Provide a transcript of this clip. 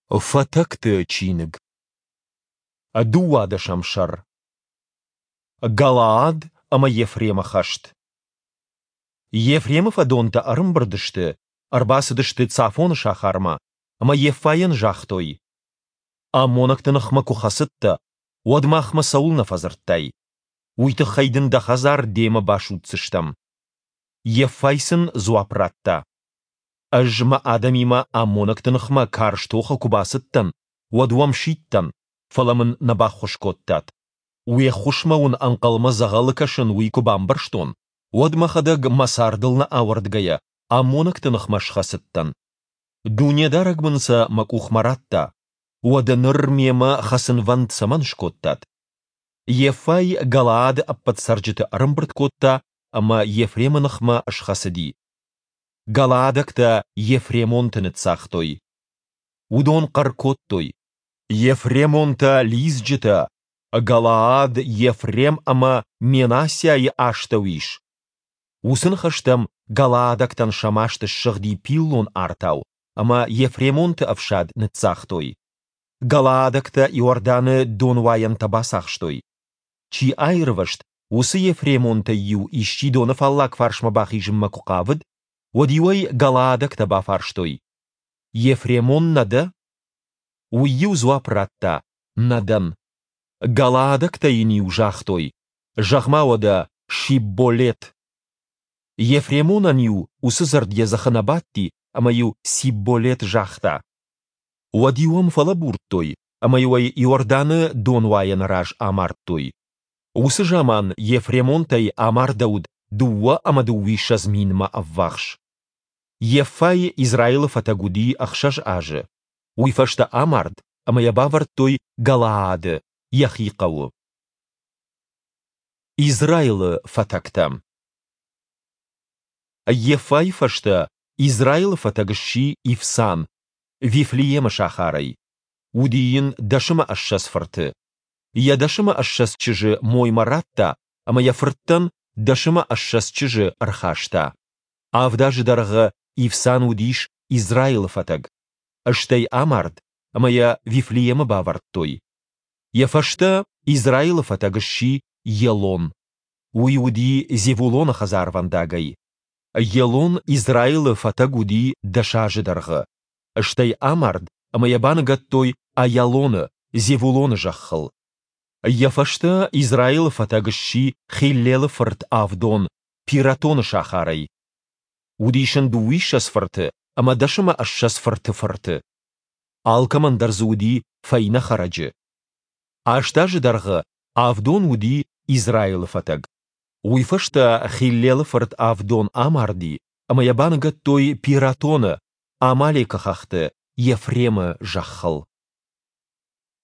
Фатӕгты чиныг. Дыууадӕсӕм сӕр. Галаад ӕмӕ Ефремы хӕст. Ефремы фӕдонтӕ ӕрӕмбырд сты, ӕрбацыдысты Цафоны сахармӕ ӕмӕ Йеффайӕн загътой: «Аммонӕгты ныхмӕ куы хӕцыдтӕ, уӕд махмӕ цӕуылнӕ фӕдзырдтай? Уый тыххӕй дын дӕ хӕдзар демӕ басудздзыстӕм». Йеффай сын дзуапп радта: Ӕз мӕ адӕмимӕ аммонӕгты ныхмӕ карз тохы куы бацыдтӕн, уӕд уӕм сидтӕн, фӕлӕ мын нӕ баххуыс кодтат. Уе ххуысмӕ уын ӕнхъӕлмӕ дзӕгъӕлы кӕсын, уый куы бамбӕрстон, уӕд мӕхӕдӕг мӕ цардыл нӕ ауӕрдгӕйӕ аммонӕгты ныхмӕ схӕцыдтӕн. Дунедарӕг мын сӕ мӕ къухмӕ радта. Уӕдӕ ныр мемӕ хӕцынвӕнд цӕмӕн скодтат? Йеффай Галаады ӕппӕт цӕрджыты ӕрӕмбырд кодта ӕмӕ Ефремы ныхмӕ схӕцыди. Галаадӕгтӕ ефремонты ныццагътой. Уыдон хъӕр кодтой: «Ефремонтӕ лидзджытӕ! Галаад Ефрем ӕмӕ Менассиайы астӕу ис!» Уыцы ныхӕстӕм галаадӕгтӕн сӕ маст ссыгъди пиллон артау ӕмӕ ефремонты ӕфсад ныццагътой. Галаадӕгтӕ Иорданы донуайӕнтӕ бацахстой. Чи аирвӕзт, уыцы ефремонтӕй-иу исчи доны фаллаг фарсмӕ бахизынмӕ куы хъавыд, уӕд-иу ӕй галаадӕгтӕ бафарстой: «Ефремон нӕ дӕ?» Уый-иу дзуапп радта: «Нӕ дӕн». Галаадӕгтӕ йын-иу загътой: «Зӕгъ-ма уӕдӕ Шибболет». Ефремонӕн-иу уыцы дзырд йӕ дзыхы нӕ бадти ӕмӕ-иу Сибболет загъта. Уӕд-иу ӕм фӕлӕбурдтой ӕмӕ-иу ӕй Иорданы донуайӕны раз амардтой. Уыцы заман ефремонтӕй амардӕуыд 22 минмӕ ӕввахс. Йеффай Израилы фӕтӕг уыди ӕхсӕз азы. Уый фӕстӕ амард, ӕмӕ йӕ бавӕрдтой Галаады, йӕхи хъӕуы. Израилы фӕтӕгтӕ. Йеффайы фӕстӕ Израилы фӕтӕг сси Ивсан, Вифлеемы сахарӕй. Уыди йын 20 фырты. Йӕ 20 чызджы моймӕ радта ӕмӕ йӕ фырттӕн 20 чызджы ӕрхаста. Авд азы дӕргъы Ивсан уыдис Израилы фӕтӕг. Стӕй амард, ӕмӕ йӕ Вифлеемы бавӕрдтой. Йӕ фӕстӕ Израилы фӕтӕг сси Елон. Уый уыди Зевулоны хӕдзарвӕндагӕй. Елон Израилы фӕтӕг уыди дӕс азы дӕргъы. Стӕй амард, ӕмӕ йӕ баныгӕдтой Аялоны, Зевулоны зӕххыл. Йӕ фӕстӕ Израилы фӕтӕг сси Хиллелы фырт Авдон, Пиратоны сахарӕй. Уыдис ын дыууиссӕдз фырты ӕмӕ 20 фырты фырты. Алкӕмӕн дӕр дзы уыди фӕйнӕ хӕрӕджы. Аст азы дӕргъы Авдон уыди Израилы фӕтӕг. Уый фӕстӕ Хиллелы фырт Авдон амарди, ӕмӕ йӕ баныгӕдтой Пиратоны, Амалекы хӕхты, Ефремы зӕххыл.